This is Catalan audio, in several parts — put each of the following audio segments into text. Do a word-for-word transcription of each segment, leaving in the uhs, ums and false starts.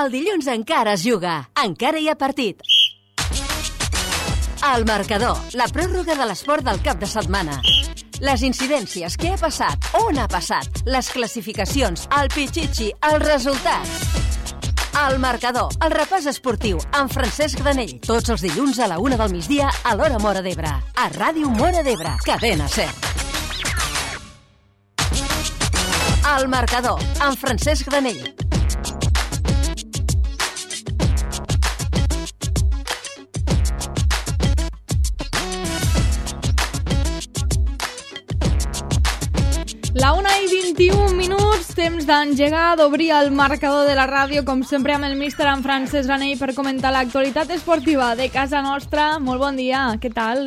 El dilluns encara es juga, encara hi ha partit. El marcador, la pròrroga de l'esport del cap de setmana. Les incidències, què ha passat, on ha passat, les classificacions, el pitxitxi, els resultats. El marcador, el repàs esportiu, amb Francesc Granell. Tots els dilluns a la una del migdia a l'hora Móra d'Ebre. A Ràdio Móra d'Ebre, Cadena Ser. El marcador, amb Francesc Granell. La una i vint-i-un minuts, temps d'engegar, d'obrir el marcador de la ràdio, com sempre amb el míster en Francesc Granell per comentar l'actualitat esportiva de casa nostra. Molt bon dia, què tal?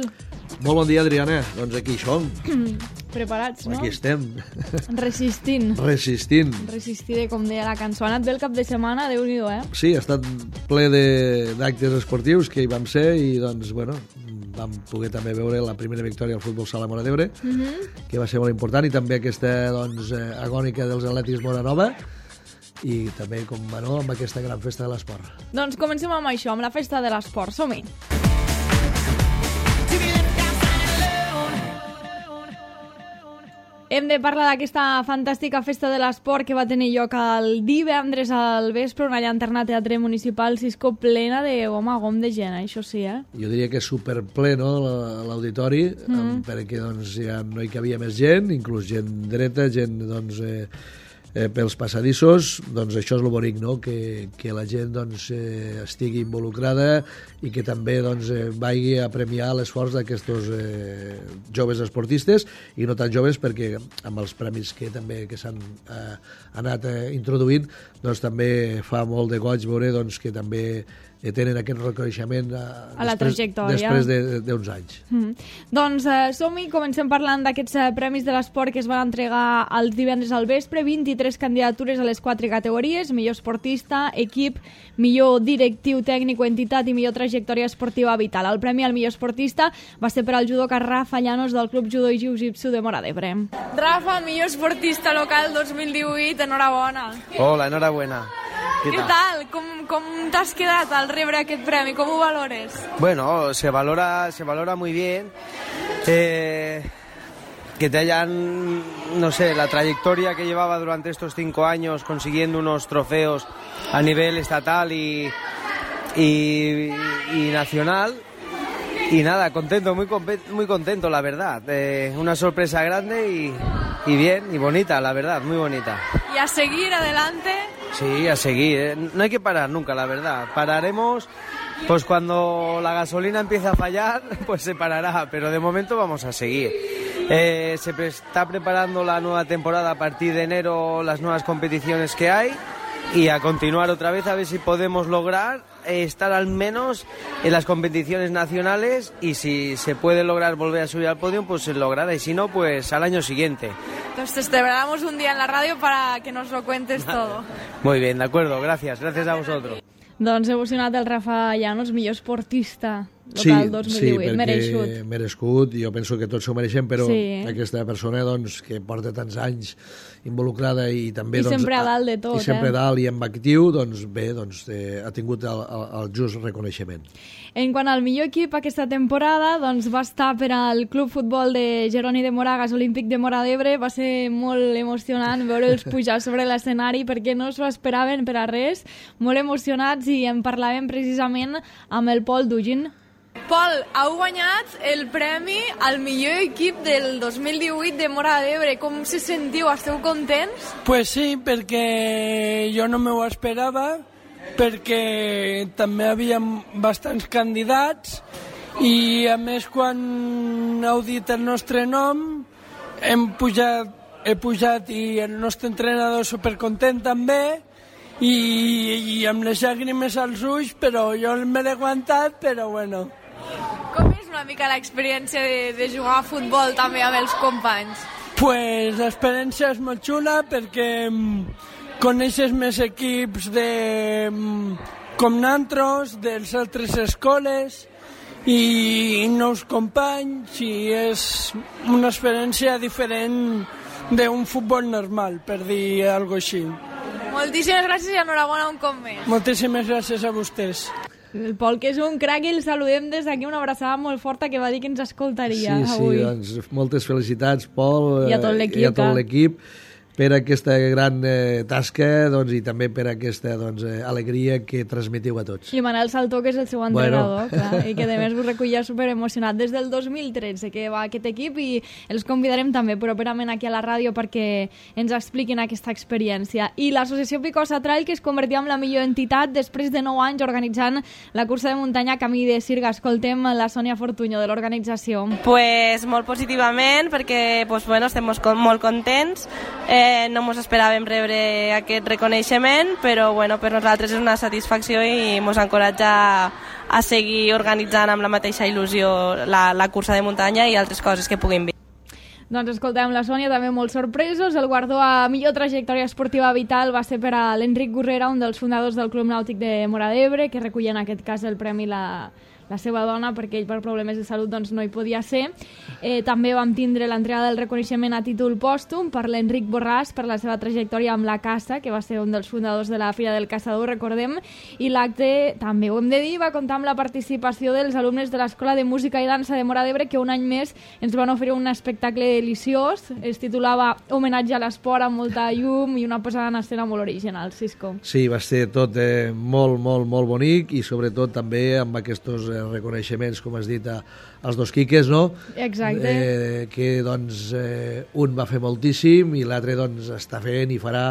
Molt bon dia, Adriana. Doncs aquí som. Preparats, no? Aquí estem. Resistint. Resistint. Resistiré, com deia la cançó. Ha anat bé el cap de setmana, Déu-n'hi-do, eh? Sí, ha estat ple de- d'actes esportius que hi vam ser i, doncs, bueno, vam poder també veure la primera victòria al futbol sala Móra d'Ebre, Mhm. que va ser molt important, i també aquesta, doncs, eh, agònica dels Atlètics Móra Nova, i també, com va, no, amb aquesta gran festa de l'esport. Doncs comencem amb això, amb la festa de l'esport. Som-hi. Hem de parlar d'aquesta fantàstica festa de l'esport que va tenir lloc el divendres al vespre, una llanterna teatre municipal Cisco plena de gom a gom de gent, això sí, eh? Jo diria que és superple, no?, la- l'auditori, mm. perquè doncs, ja no hi cabia més gent, inclús gent dreta, gent doncs, eh, eh, pels passadissos. Doncs això és el bonic, no?, que, que la gent doncs, eh, estigui involucrada i que també doncs, eh, vagi a premiar l'esforç d'aquests eh, joves esportistes, i no tan joves, perquè amb els premis que també que s'han eh, anat eh, introduint, doncs també fa molt de goig veure doncs, que també eh, tenen aquest reconeixement eh, A la després, trajectòria. després de- d'uns anys. Mm. Doncs eh, som-hi, comencem parlant d'aquests eh, premis de l'esport que es van entregar el divendres al vespre. Vint-i-tres candidatures a les quatre categories: millor esportista, equip, millor directiu tècnic o entitat i millor trajectòria esportiva vital. El premi al millor esportista va ser per al judoka Rafa Llanos del Club Judo i Jiu-Jitsu de Móra d'Ebre. Rafa, millor esportista local dos mil divuit, enhorabona. Hola, enhorabuena. Què tal? Com, com t'has quedat al rebre aquest premi? Com ho valores? Bueno, se valora, se valora muy bien. Eh, que te hayan, no sé, la trayectoria que llevaba durante estos cinco años consiguiendo unos trofeos a nivel estatal y, y, y nacional. Y nada, contento, muy, compe- muy contento, la verdad. Eh, una sorpresa grande y, y bien, y bonita, la verdad, muy bonita. Y a seguir adelante. Sí, a seguir, ¿eh? No hay que parar nunca, la verdad. Pararemos, pues cuando la gasolina empiece a fallar, pues se parará, pero de momento vamos a seguir. Eh, se pre- está preparando la nueva temporada a partir de enero, las nuevas competiciones que hay, y a continuar otra vez a ver si podemos lograr eh, estar al menos en las competiciones nacionales, y si se puede lograr volver a subir al podio, pues se logrará, y si no, pues al año siguiente. Entonces te esperamos un día en la radio para que nos lo cuentes todo. Muy bien, de acuerdo, gracias, gracias a vosotros. Doncs he emocionat el Rafa Llanos, millor esportista Sí, local dos mil sí, divuit, perquè mereixut. merescut, jo penso que tots s'ho mereixem, però Sí. aquesta persona doncs, que porta tants anys involucrada i també... I doncs, sempre a dalt de tot, I sempre eh? a dalt i amb actiu, doncs bé, doncs, eh, ha tingut el, el, el just reconeixement. En quant al millor equip aquesta temporada, doncs va estar per al Club Futbol de Jeroni de Moragas Olímpic de Móra d'Ebre. Va ser molt emocionant veure'ls pujar sobre l'escenari perquè no s'ho esperaven per a res. Molt emocionats, i en parlàvem precisament amb el Pol Dugin. Pol, heu guanyat el premi al millor equip del dos mil divuit de Móra d'Ebre. Com se sentiu? Esteu contents? Pues sí, perquè jo no m'ho esperava, perquè també havia bastants candidats, i a més quan heu dit el nostre nom hem pujat, he pujat i el nostre entrenador supercontent també, i, i amb les llàgrimes als ulls, però jo me l'he aguantat, però bueno. Com és una mica l'experiència de, de jugar a futbol també amb els companys? Pues l'experiència és molt xula perquè mm, coneixes més equips de, mm, com nantros, de les altres escoles, i nous companys, i és una experiència diferent d'un futbol normal, per dir alguna cosa així. Moltíssimes gràcies i enhorabona un cop més. Moltíssimes gràcies a vostès. El Pol, que és un crac, i el saludem des d'aquí, una abraçada molt forta, que va dir que ens escoltaria sí, avui. Sí, doncs moltes felicitats, Pol, i a tot l'equip, i a tot l'equip per aquesta gran eh, tasca, doncs, i també per aquesta doncs, eh, alegria que transmetiu a tots. I Manel Saltó, que és el seu entrenador, bueno. clar, i que a més us recollia superemocionat des del dos mil tretze que va aquest equip, i els convidarem també properament aquí a la ràdio perquè ens expliquin aquesta experiència. I l'associació Picosa Trail, que es convertia en la millor entitat després de nou anys organitzant la cursa de muntanya Camí de Sirga. Escoltem la Sònia Fortuño de l'organització. Pues molt positivament, perquè pues, bueno, estem molt contents. Eh, no ens esperàvem rebre aquest reconeixement, però bueno, per nosaltres és una satisfacció i ens encoratja a seguir organitzant amb la mateixa il·lusió la, la cursa de muntanya i altres coses que puguin vir. Doncs escoltem la Sònia, també molt sorpresos. El guardó a millor trajectòria esportiva vital va ser per a l'Enric Gurrera, un dels fundadors del Club Nàutic de Móra d'Ebre, que recull en aquest cas el premi la... la seva dona, perquè ell per problemes de salut doncs, no hi podia ser. Eh, també vam tindre l'entrega del reconeixement a títol pòstum per l'Enric Borràs per la seva trajectòria amb la caça, que va ser un dels fundadors de la Fira del Caçador, recordem, i l'acte, també ho hem de dir, va comptar amb la participació dels alumnes de l'Escola de Música i Dansa de Móra d'Ebre, que un any més ens van oferir un espectacle deliciós. Es titulava Homenatge a l'esport, amb molta llum i una posada en escena molt original. Cisco. Sí, va ser tot eh, molt, molt, molt bonic, i sobretot també amb aquests eh, reconeixements, com has dit, a, als dos quiques, no? Exacte. Eh, que, doncs, eh, un va fer moltíssim i l'altre, doncs, està fent i farà,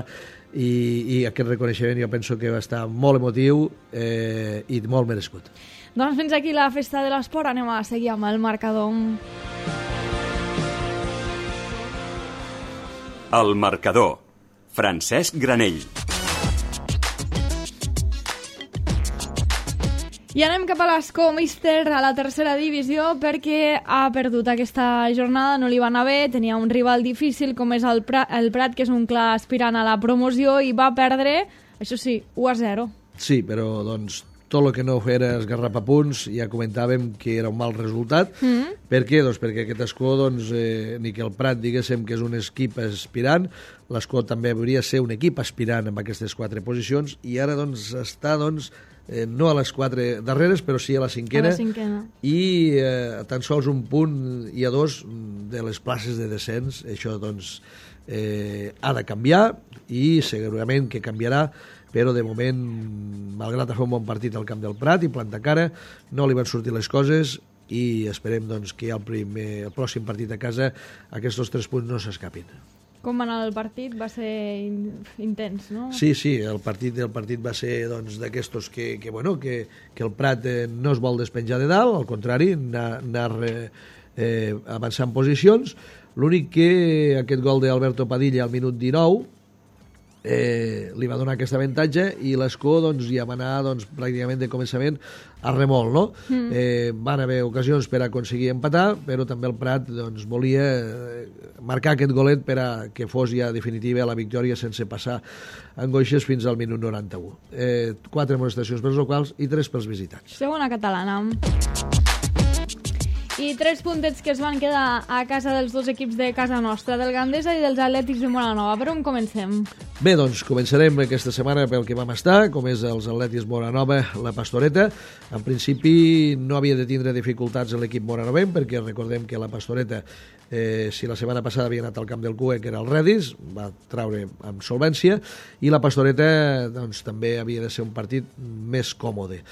i, i aquest reconeixement jo penso que va estar molt emotiu eh, i molt merescut. Doncs fins aquí la festa de l'esport. Anem a seguir amb el marcador. El marcador. Francesc Granell. I anem cap a l'Escó, míster, a la tercera divisió, perquè ha perdut aquesta jornada, no li va anar bé, tenia un rival difícil com és el Prat, el Prat, que és un clar aspirant a la promoció, i va perdre, això sí, u a zero. Sí, però doncs tot el que no era esgarrapapunts, ja comentàvem que era un mal resultat. Mm. Per què? Doncs perquè aquest Escó, doncs, eh, ni que el Prat diguéssim que és un equip aspirant, l'Escó també hauria de ser un equip aspirant amb aquestes quatre posicions, i ara doncs està doncs Eh, no a les quatre darreres, però sí a la cinquena, a la cinquena. i eh, tan sols un punt i a dos de les places de descens. Això doncs eh, ha de canviar, i segurament que canviarà, però de moment, malgrat fer un bon partit al camp del Prat i plantar cara, no li van sortir les coses, i esperem doncs, que el, primer, el pròxim partit a casa aquests tres punts no s'escapin. Com va anar el partit? Va ser intens, no? Sí, sí, el partit el partit va ser doncs, d'aquestos que, que, bueno, que, que el Prat eh, no es vol despenjar de dalt, al contrari, anar, anar eh, eh, avançant posicions. L'únic que aquest gol d'Alberto Padilla al minut dinou eh, li va donar aquest avantatge, i l'Escó doncs, ja va anar doncs, pràcticament de començament a remol, no? Mm. Eh, van haver ocasions per aconseguir empatar, però també el Prat doncs, volia eh, marcar aquest golet per a que fos ja definitiva la victòria sense passar angoixes fins al minut noranta-u. Eh, quatre amonestacions pels locals i tres pels visitants. Segona catalana. I tres puntets que es van quedar a casa dels dos equips de casa nostra, del Gandesa i dels Atlètics de Móra-Nova. Per on comencem? Bé, doncs començarem aquesta setmana pel que vam estar, com és els Atlètics Móra-Nova, la Pastoreta. En principi no havia de tindre dificultats l'equip moranovenc, perquè recordem que la Pastoreta, eh, si la setmana passada havia anat al camp del Cue, que era el Redis, va traure amb solvència, i la Pastoreta doncs, també havia de ser un partit més còmode.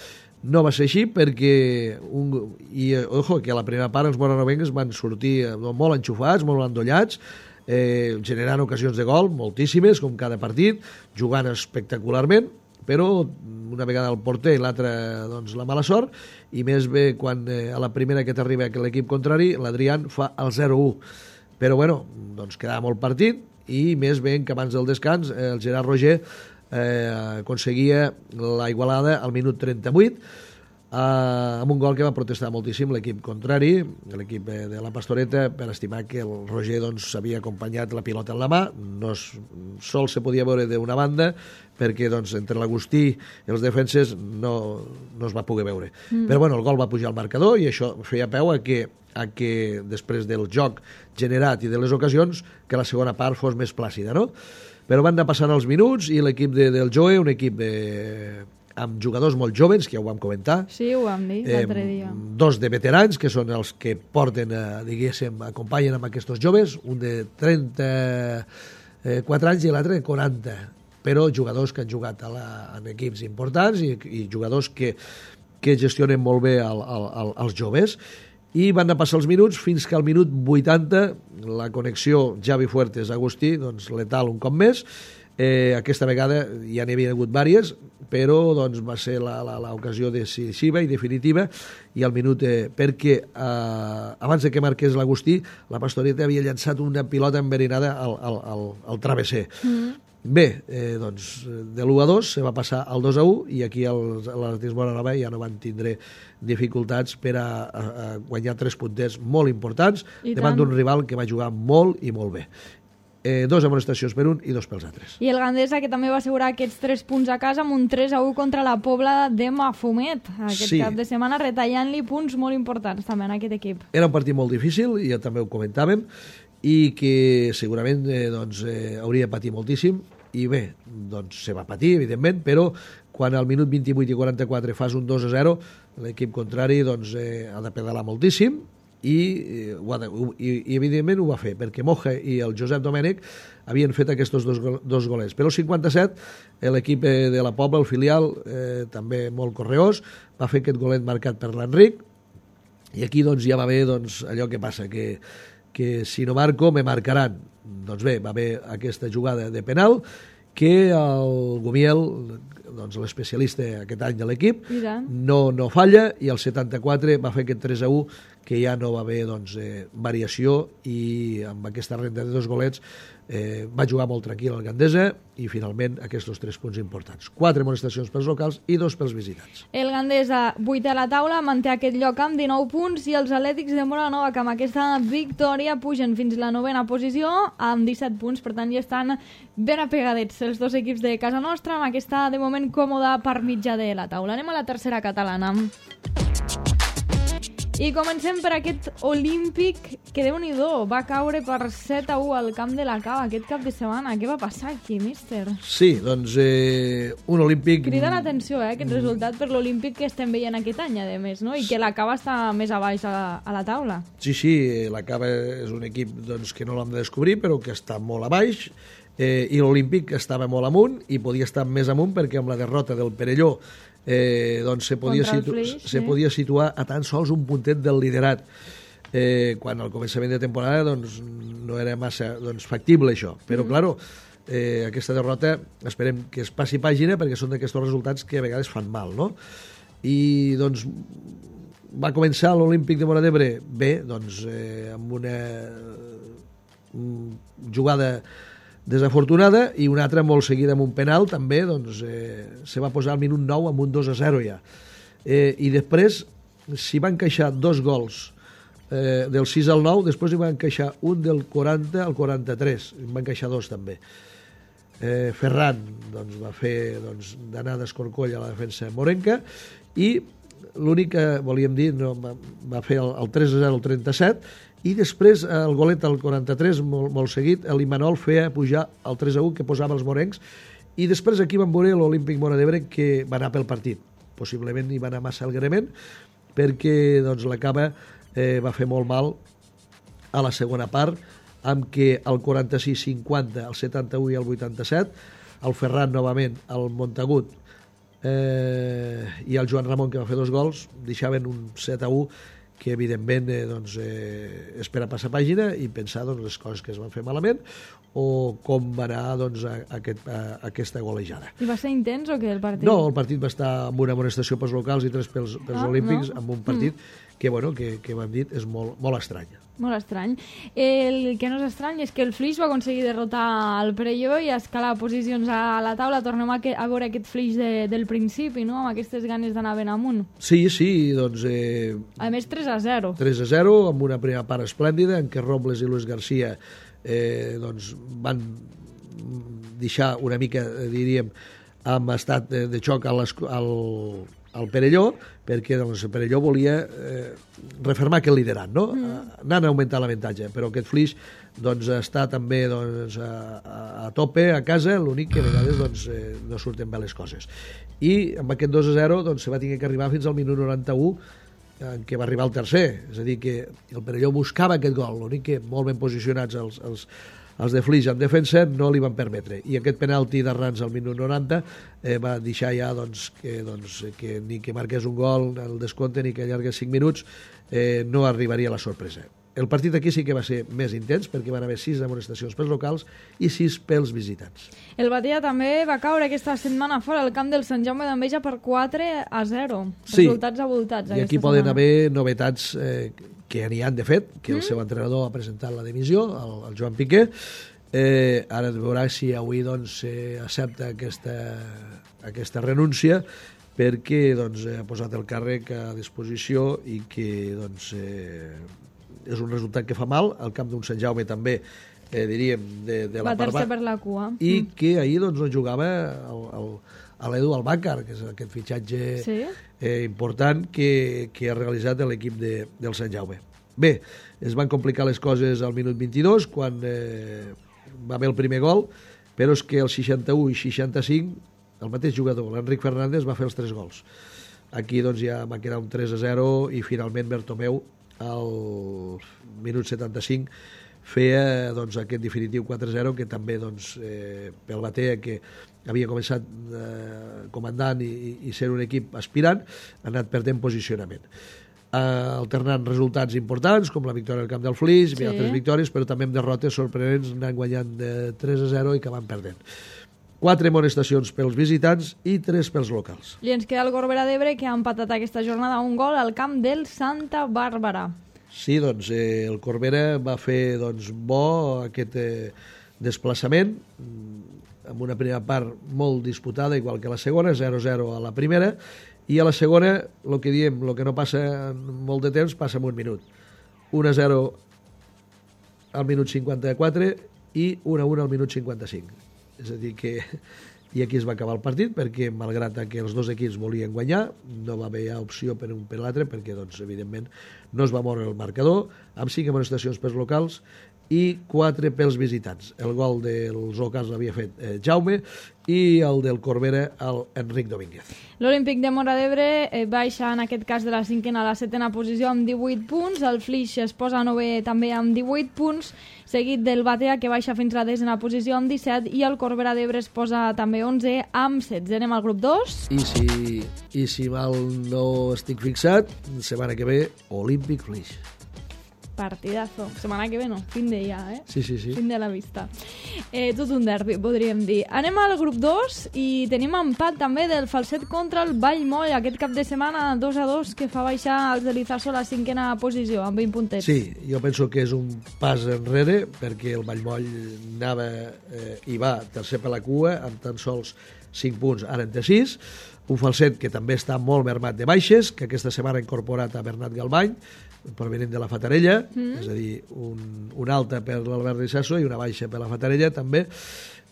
No va ser així, perquè un, i ojo, que a la primera part els moranovencs van sortir molt enxufats, molt endollats, eh, generant ocasions de gol, moltíssimes, com cada partit, jugant espectacularment, però una vegada el porter i l'altra doncs, la mala sort, i més bé quan eh, a la primera que t'arriba que l'equip contrari, l'Adrián fa el zero a u. Però bueno, doncs quedava molt partit, i més bé que abans del descans eh, el Gerard Roger Eh, aconseguia la igualada al minut trenta-vuit, eh, amb un gol que va protestar moltíssim l'equip contrari, l'equip eh, de la Pastoreta, per estimar que el Roger doncs, havia acompanyat la pilota en la mà. No es, sol se podia veure d'una banda, perquè doncs, entre l'Agustí i els defenses no, no es va poder veure. Mm. Però bueno, el gol va pujar al marcador, i això feia peu a que, a que després del joc generat i de les ocasions, que la segona part fos més plàcida, no? Però van anar passant els minuts i l'equip de, del Joe, un equip de, amb jugadors molt joves, que ja ho vam comentar. Sí, ho vam dir l'altre dia. Eh, dos de veterans, que són els que porten, eh, diguéssim, acompanyen amb aquests joves, un de trenta-quatre anys i l'altre de quaranta, però jugadors que han jugat a la, en equips importants i, i jugadors que, que gestionen molt bé el, el, el, els joves. I van anar passar els minuts fins que al minut vuitanta la connexió Javi Fuertes-Agustí, doncs letal un cop més. Eh, aquesta vegada ja n'hi havia hagut diverses, però doncs, va ser l'ocasió decisiva i definitiva, i al minut, eh, perquè eh, abans de que marqués l'Agustí, la Pastoreta havia llançat una pilota enverinada al, al, al, al travesser. Mm. Bé, eh, doncs, de l'u a dos se va passar al dos a u, i aquí l'Atlètic Móra ja no van tindre dificultats per a, a, a guanyar tres punters molt importants davant d'un rival que va jugar molt i molt bé. Eh, dos amonestacions per un i dos pels altres. I el Gandesa, que també va assegurar aquests tres punts a casa amb un tres a u contra la Pobla de Mafumet aquest sí. cap de setmana, retallant-li punts molt importants també en aquest equip. Era un partit molt difícil, i ja també ho comentàvem, i que segurament eh, doncs, eh, hauria de patir moltíssim, i bé, doncs se va patir, evidentment, però quan al minut vint-i-vuit i quaranta-quatre fas un dos a zero, l'equip contrari doncs, eh, ha de pedalar moltíssim, i, eh, de, i, i evidentment ho va fer, perquè Moja i el Josep Domènech havien fet aquests dos, dos golets. Però el cinquanta-set l'equip de la Pobla, el filial, eh, també molt correós, va fer aquest golet marcat per l'Enric, i aquí doncs, ja va haver doncs, allò que passa, que, que si no marco me marcaran. Doncs bé, va haver aquesta jugada de penal que el Gumiel, doncs l'especialista aquest any de l'equip, no, no falla, i el setanta-quatre va fer aquest tres a u, que ja no va haver doncs, eh, variació, i amb aquesta renda de dos golets eh, va jugar molt tranquil el Gandesa, i finalment aquests tres punts importants. Quatre amonestacions pels locals i dos pels visitants. El Gandesa, vuitè a la taula, manté aquest lloc amb dinou punts, i els Atlètics de Móra-la-Nova, que amb aquesta victòria pugen fins a la novena posició amb disset punts, per tant ja estan ben apegadets els dos equips de casa nostra, amb aquesta de moment còmoda per mitjà de la taula. Anem a la tercera catalana. I comencem per aquest Olímpic, que Déu-n'hi-do, va caure per set a u al camp de la Cava aquest cap de setmana. Què va passar aquí, míster? Sí, doncs eh, un Olímpic... Crida l'atenció, eh, aquest resultat per l'Olímpic que estem veient aquest any, a més, no? I que la Cava està més a baix a la, a la taula. Sí, sí, la Cava és un equip doncs, que no l'hem de descobrir, però que està molt a baix, eh, i l'Olímpic estava molt amunt, i podia estar més amunt perquè amb la derrota del Perelló Eh, doncs se podia, situ Flix, se sí. podia situar a tan sols un puntet del liderat, eh, quan al començament de temporada doncs, no era massa doncs, factible això, però mm. claro, eh, aquesta derrota esperem que es passi pàgina, perquè són d'aquests resultats que a vegades fan mal, no? I doncs va començar l'Olímpic de Móra d'Ebre bé, doncs eh, amb una jugada desafortunada, i una altra molt seguida amb un penal també, doncs eh, se va posar al minut nou amb un dos a zero ja, eh, i després s'hi van encaixar dos gols eh, del sis al nou, després hi van encaixar un del quaranta al quaranta-tres, en van encaixar dos també. eh, Ferran doncs, va fer doncs, d'anar d'escorcoll a la defensa morenca, i l'únic que volíem dir, no, va, va fer el, el tres a zero al trenta-set, i després el golet al quaranta-tres, molt, molt seguit, l'Imanol feia pujar el tres a u que posava els morencs, i després aquí van veure l'Olímpic Móra d'Ebre que va anar pel partit. Possiblement hi va anar massa alegrement, perquè doncs, la Cava eh, va fer molt mal a la segona part, amb que el quaranta-sis cinquanta, el setanta-u i el vuitanta-set, el Ferran novament, el Montagut eh, i el Joan Ramon, que va fer dos gols, deixaven un set a u que evidentment eh, doncs, eh, és per a passar pàgina i pensar doncs, les coses que es van fer malament o com va anar doncs, a, a aquest, a, a aquesta golejada. I va ser intens o què el partit? No, el partit va estar amb una amonestació pels locals i tres pels, pels ah, olímpics, no? Amb un partit mm. que, bueno, que, que hem dit és molt, molt estrany. Molt estrany. El que no és estrany és que el Flix va aconseguir derrotar el Perelló i escalar posicions a la taula. Tornem a, que, a veure aquest Flix de, del principi, no? Amb aquestes ganes d'anar ben amunt. Sí, sí, doncs... Eh, a més, tres a zero. tres a zero, amb una primera part esplèndida, en què Robles i Luis García eh, doncs van deixar una mica, eh, diríem, amb estat de, de xoc al, al, al Perelló, perquè doncs, el Perelló volia eh, refermar aquest liderat, no? Mm. Anant a augmentar l'avantatge, però aquest Flix doncs, està també doncs, a, a, a tope a casa, l'únic que a vegades doncs, eh, no surten bé les coses. I amb aquest dos a zero doncs, se va tenir que arribar fins al minut noranta-u, en què va arribar el tercer, és a dir, que el Perelló buscava aquest gol, l'únic que molt ben posicionats els, els, els de Flix en defensa no li van permetre, i aquest penalti d'Arranz al minut noranta eh, va deixar ja doncs, que, doncs, que ni que marqués un gol el descompte ni que allargués cinc minuts eh, no arribaria a la sorpresa. El partit aquí sí que va ser més intens perquè van haver sis amonestacions pels locals i sis pels visitants. El Batea també va caure aquesta setmana fora al camp del Sant Jaume d'Enveja per quatre a zero. Sí. Resultats abultats. I aquí poden haver novetats eh, que n'hi han de fet, que el mm. seu entrenador ha presentat la dimissió, el, el Joan Piqué. Eh, ara es veurà si avui doncs, eh, accepta aquesta, aquesta renúncia perquè doncs, ha posat el càrrec a disposició i que doncs, eh, és un resultat que fa mal, al camp d'un Sant Jaume també, eh, diríem, de, de la part baix. Per la cua. I mm. que ahir doncs, no jugava el, el, l'Edu Albàcar, que és aquest fitxatge sí? eh, important que, que ha realitzat l'equip de, del Sant Jaume. Bé, es van complicar les coses al minut vint-i-dos, quan eh, va haver el primer gol, però és que el seixanta-u i seixanta-cinc el mateix jugador, l'Enric Fernández, va fer els tres gols. Aquí doncs, ja va quedar un tres a zero i finalment Bertomeu al minut setanta-cinc feia doncs, aquest definitiu quatre a zero que també doncs, eh, pel Batea, que havia començat eh, comandant i, i ser un equip aspirant, ha anat perdent posicionament. Eh, alternant resultats importants com la victòria al camp del Flix, sí. altres victòries, però també amb derrotes sorprenents, anant guanyant de tres a zero i acabant perdent. Quatre amonestacions pels visitants i tres pels locals. I ens queda el Corbera d'Ebre, que ha empatat aquesta jornada un gol al camp del Santa Bàrbara. Sí, doncs eh, el Corbera va fer doncs, bo aquest eh, desplaçament, amb una primera part molt disputada, igual que la segona, zero a zero a la primera, i a la segona, el que diem, el que no passa en molt de temps, passa en un minut. un a zero al minut cinquanta-quatre i un a un al minut cinquanta-cinc. És a dir que... I aquí es va acabar el partit, perquè malgrat que els dos equips volien guanyar, no va haver opció per un per l'altre, perquè doncs, evidentment no es va moure el marcador, amb cinc amonestacions pels locals i quatre pels visitants. El gol dels locals l'havia fet eh, Jaume i el del Corbera, el Enric Domínguez. L'Olímpic de Móra d'Ebre eh, baixa en aquest cas de la cinquena a la setena posició amb divuit punts, el Flix es posa a novè també amb divuit punts, seguit del Batea, que baixa fins a la desena posició amb disset, i el Corbera d'Ebre es posa també onze amb setze. Anem al grup dos. I si, i si mal no estic fixat, setmana que ve, Olímpic Flix. Partidazo. Setmana que ve no, fin de ja, eh? Sí, sí, sí. Fin de la vista. Eh, tot un derbi, podríem dir. Anem al grup dos i tenim empat també del Falset contra el Vallmoll. Aquest cap de setmana dos a dos que fa baixar els de l'Izaso a la cinquena posició, amb vint puntets. Sí, jo penso que és un pas enrere perquè el Vallmoll anava eh, i va tercer per la cua amb tan sols cinc punts, ara en té sis. Un Falset que també està molt mermat de baixes, que aquesta setmana ha incorporat a Bernat Galbany, provenint de la Fatarella, mm. és a dir, un, una alta per l'Albert Rissasso i una baixa per la Fatarella també.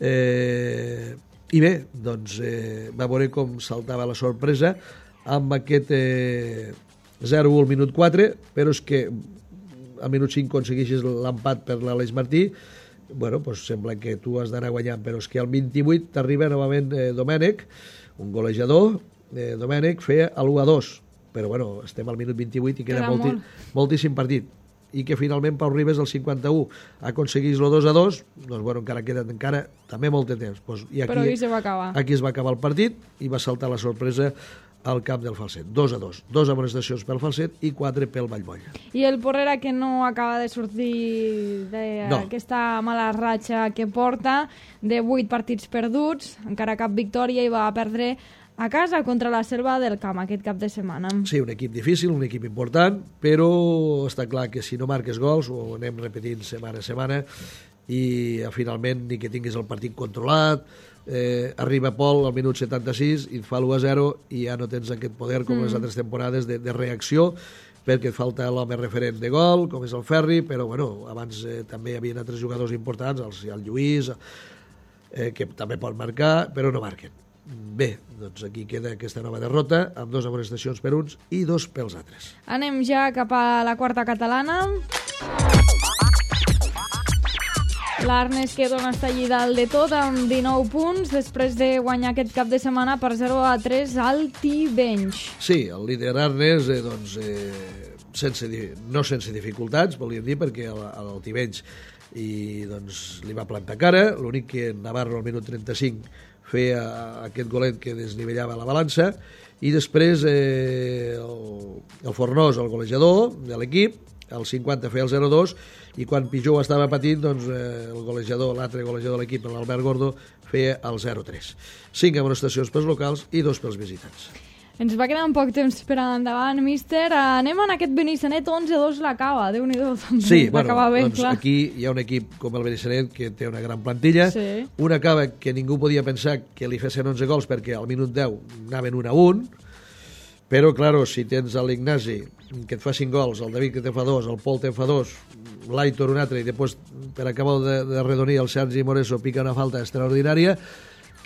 Eh, I bé, doncs eh, va veure com saltava la sorpresa amb aquest eh, zero a u al minut quatre, però és que al minut cinc aconsegueixes l'empat per l'Aleix Martí. Bueno, doncs sembla que tu has d'anar guanyant, però és que al vint-i-vuit t'arriba novament eh, Domènech, un golejador. eh, Domènech feia l'u a dos, però bueno, estem al minut vint-i-vuit i queda, queda molti, molt. moltíssim partit, i que finalment Pau Ribes al cinquanta-u aconseguís el dos a dos, doncs bueno, encara queda encara també molt de temps. Pues, i aquí, però aquí se va acabar. Aquí es va acabar el partit i va saltar la sorpresa al camp del Falset. dos a dos. Dos amonestacions pel Falset i quatre pel Vallmoll. I el Porrera, que no acaba de sortir d'aquesta no. mala ratxa que porta, de vuit partits perduts, encara cap victòria, i va perdre a casa contra la Selva del Camp aquest cap de setmana. Sí, un equip difícil, un equip important, però està clar que si no marques gols, ho anem repetint setmana a setmana, i finalment ni que tinguis el partit controlat, eh, arriba Pol al minut setanta-sis i et fa l'u a zero i ja no tens aquest poder com mm. les altres temporades de, de reacció, perquè et falta l'home referent de gol, com és el Ferri, però bueno, abans eh, també hi havia altres jugadors importants, el, el Lluís, eh, que també pot marcar, però no marquen. bé, doncs aquí queda aquesta nova derrota, amb dos amonestacions per uns i dos pels altres. Anem ja cap a la quarta catalana. L'Arnes que torna a estar allí dalt de tot amb dinou punts després de guanyar aquest cap de setmana per zero a tres al Tivenys. Sí, el líder Arnes, eh, doncs, eh, sense, no sense dificultats, volíem dir, perquè el, el Tivenys i, doncs, li va plantar cara. L'únic que Navarro al minut trenta-cinc feia aquest golet que desnivellava la balança, i després eh, el, el Fornós, el golejador de l'equip, el cinquanta feia el zero dos, i quan Pijó estava patint, doncs, eh, el golejador, l'altre golejador de l'equip, l'Albert Gordo, feia el zero tres. Cinc amonestacions pels locals i dos pels visitants. Ens va quedar un poc temps per endavant, míster. Anem en aquest Benissanet, onze dos l'acaba. Déu-n'hi-do, també. Sí, bueno, bé, doncs clar. aquí hi ha un equip com el Benissanet que té una gran plantilla. Sí. Un acaba que ningú podia pensar que li fessin onze gols perquè al minut deu anaven un a un, però, claro, si tens l'Ignasi que et fa cinc gols, el David que te fa dos, el Pol te fa dos, l'Aitor un altre, i després, per acabar de, de redonir, el Sergi Moreso pica una falta extraordinària,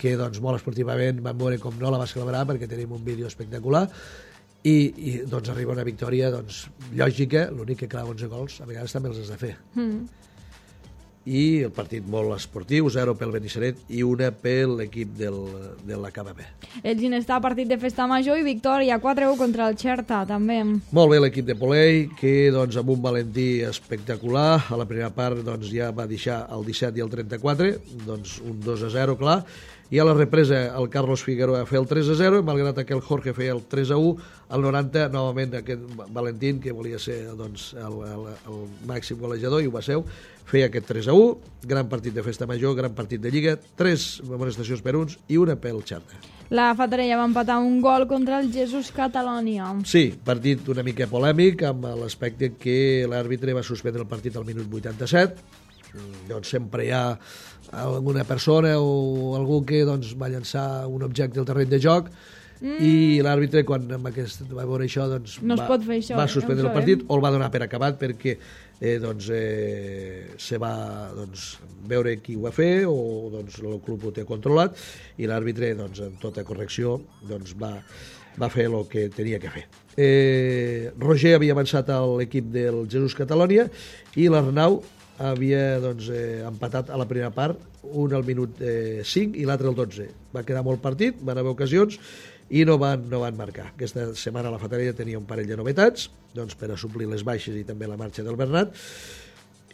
que doncs molt esportivament vam veure com no la va celebrar perquè tenim un vídeo espectacular, i, i doncs arriba una victòria doncs, lògica. L'únic que, clar, onze gols a vegades també els has de fer. Mm. I el partit molt esportiu, zero pel Benissanet i una per l'equip del, de la K B B. El Ginestar, partit de festa major i victòria quatre a u contra el Xerta, també. Molt bé l'equip de Polei, que doncs, amb un Valentí espectacular, a la primera part doncs, ja va deixar el disset i el trenta-quatre, doncs un dos a zero, clar, i a la represa el Carlos Figueroa a fer el tres a zero, malgrat que el Jorge feia el tres a u, al noranta, novament aquest Valentín, que volia ser doncs, el, el, el màxim golejador, i ho va ser, feia aquest tres a u, gran partit de festa major, gran partit de Lliga, tres amonestacions per uns i una pel Xerta. La Fatarella va empatar un gol contra el Jesús Catalònia. Sí, partit una mica polèmic, amb l'aspecte que l'àrbitre va suspendre el partit al minut vuitanta-set. Doncs sempre hi ha alguna persona o algú que doncs, va llançar un objecte al terreny de joc, mm. i l'àrbitre, quan amb aquest, va veure això, doncs, no va, pot fer això, va eh? suspendre el partit, o el va donar per acabat perquè eh, doncs, eh, se va doncs, veure qui ho va fer, o doncs, el club ho té controlat, i l'àrbitre, doncs, en tota correcció, doncs, va, va fer el que tenia que fer. Eh, Roger havia avançat a l'equip del Jesús Catalònia, i l'Arnau havia doncs, eh, empatat a la primera part, un al minut eh, cinc i l'altre al dotze. Va quedar molt partit, van haver ocasions i no van, no van marcar. Aquesta setmana la Fatarella tenia un parell de novetats, doncs, per a suplir les baixes i també la marxa del Bernat,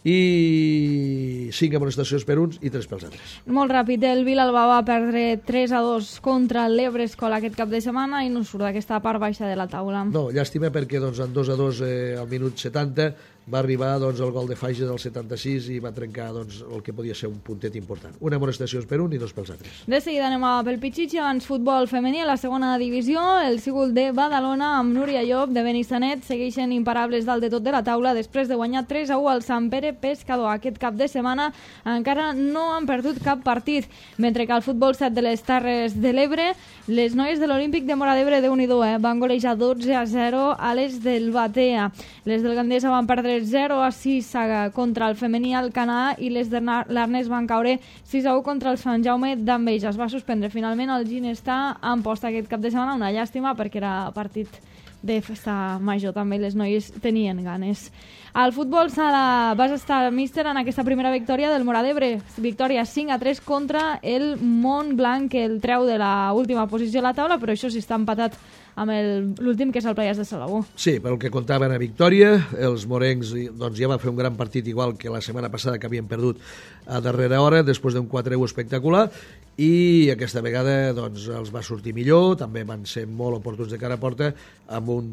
i cinc amonestacions per uns i tres pels altres. Molt ràpid, el Vilalba va perdre tres a dos contra l'Ebrescol aquest cap de setmana i no surt d'aquesta part baixa de la taula. No, llàstima perquè doncs, en dos a dos eh, al minut setanta va arribar doncs, el gol de Fages del setanta-sis i va trencar doncs, el que podia ser un puntet important. Una amonestació per un i dos pels altres. De seguida anem a pel Pichichi, abans futbol femení a la segona divisió. El Sigul de Badalona amb Núria Llop de Benissanet segueixen imparables dalt de tot de la taula després de guanyar tres a u al Sant Pere Pescador. Aquest cap de setmana encara no han perdut cap partit, mentre que al futbol set de les Terres de l'Ebre, les noies de l'Olímpic de Móra d'Ebre, Déu-n'hi-do, eh, van golejar dotze a zero a les del Batea. Les del Gandesa van perdre zero a sis contra el femení al Canà i les de l'Arnès van caure sis a u contra el Sant Jaume d'Enveja. Es va suspendre finalment el Ginestar en posta aquest cap de setmana, una llàstima perquè era partit de festa major, també les noies tenien ganes. Al futbol sala vas estar, míster, en aquesta primera victòria del Móra d'Ebre, victòria cinc a tres contra el Montblanc, que el treu de la última posició a la taula, però això sí està empatat amb l'últim, que és el Playas de Salabó. Sí, pel que comptaven a victòria, els morencs doncs, ja va fer un gran partit igual que la setmana passada, que havien perdut a darrera hora, després d'un quatre a u espectacular, i aquesta vegada doncs, els va sortir millor, també van ser molt oportuns de cara a porta, amb un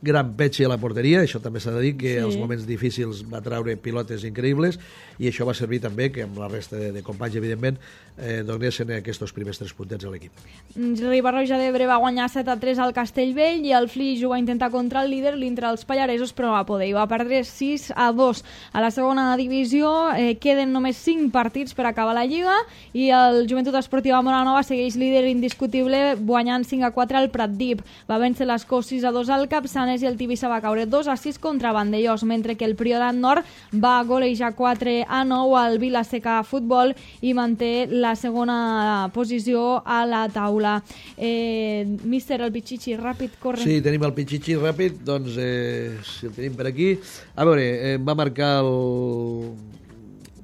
gran petxe a la porteria, això també s'ha de dir, que sí. Els moments difícils va treure pilotes increïbles, i això va servir també que amb la resta de, de companys, evidentment, eh, donessin aquests primers tres puntets a l'equip. Riba-roja d'Ebre va guanyar set a tres al Castellvell i el Flix ho va intentar contra el líder, l'Intra dels Pallaresos, però no va poder, i va perdre sis a dos. A la segona divisió eh, queden només cinc partits per acabar la Lliga, i el Joventut Esportiva Moranova segueix líder indiscutible guanyant cinc a quatre al Pratdip. Va vèncer l'Escó sis a dos al Capçanes Solsonès i el Tivissa va caure dos a sis contra Vandellós, mentre que el Priorat Nord va golejar quatre a nou al Vila-seca Futbol i manté la segona posició a la taula. Eh, míster, el Pichichi, ràpid, corre. Sí, tenim el Pichichi ràpid, doncs eh, si el tenim per aquí. A veure, eh, va marcar el...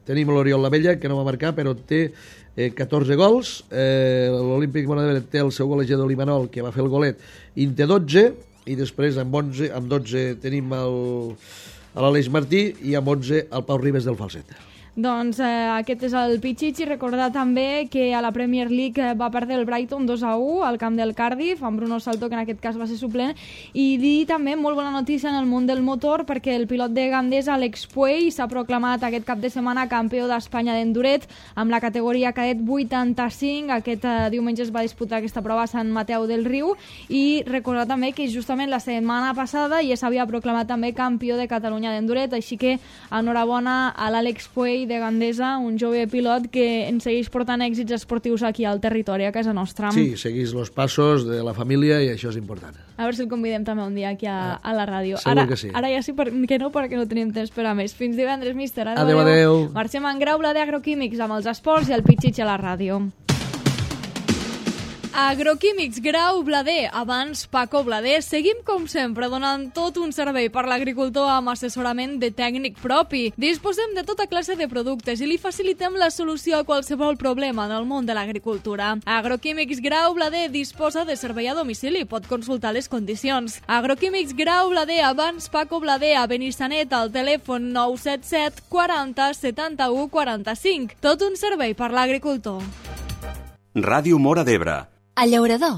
Tenim l'Oriol Lavella, que no va marcar, però té eh, catorze gols. Eh, L'Olímpic Móra d'Ebre té el seu golejador l'Imanol, que va fer el golet, i en té dotze, i després amb, onze, amb dotze tenim l'Aleix Martí i amb onze el Pau Ribes del Falset. Doncs eh, aquest és el Pichichi. Recordar també que a la Premier League va perdre el Brighton dos a u al camp del Cardiff, amb Bruno Salto, que en aquest cas va ser suplent, i dir també molt bona notícia en el món del motor, perquè el pilot de Gandesa, Alex Puey, s'ha proclamat aquest cap de setmana campió d'Espanya d'enduret amb la categoria cadet vuitanta-cinc. Aquest eh, diumenge es va disputar aquesta prova a Sant Mateu del Riu, i recordar també que justament la setmana passada ja s'havia proclamat també campió de Catalunya d'enduret, així que enhorabona a l'Àlex Puey de Gandesa, un jove pilot que ens segueix portant èxits esportius aquí al territori, a casa nostra. Sí, seguís els passos de la família i això és important. A veure si el convidem també un dia aquí a, a la ràdio. Segur ara, que sí. Ara ja sí per, que no, perquè no tenim temps per a més. Fins divendres, míster. Adéu, adéu. Marxem en Grau, la d'Agroquímics, amb els esports i el Pichichi a la ràdio. Agroquímics Grau Blader, abans Paco Blader. Seguim com sempre donant tot un servei per l'agricultor amb assessorament de tècnic propi. Disposem de tota classe de productes i li facilitem la solució a qualsevol problema en el món de l'agricultura. Agroquímics Grau Blader disposa de servei a domicili, pot consultar les condicions. Agroquímics Grau Blader, abans Paco Blader, a Benissanet, al telèfon nou set set quaranta setanta-u quaranta-cinc. Tot un servei per l'agricultor. Ràdio Móra d'Ebre. A Llaurador,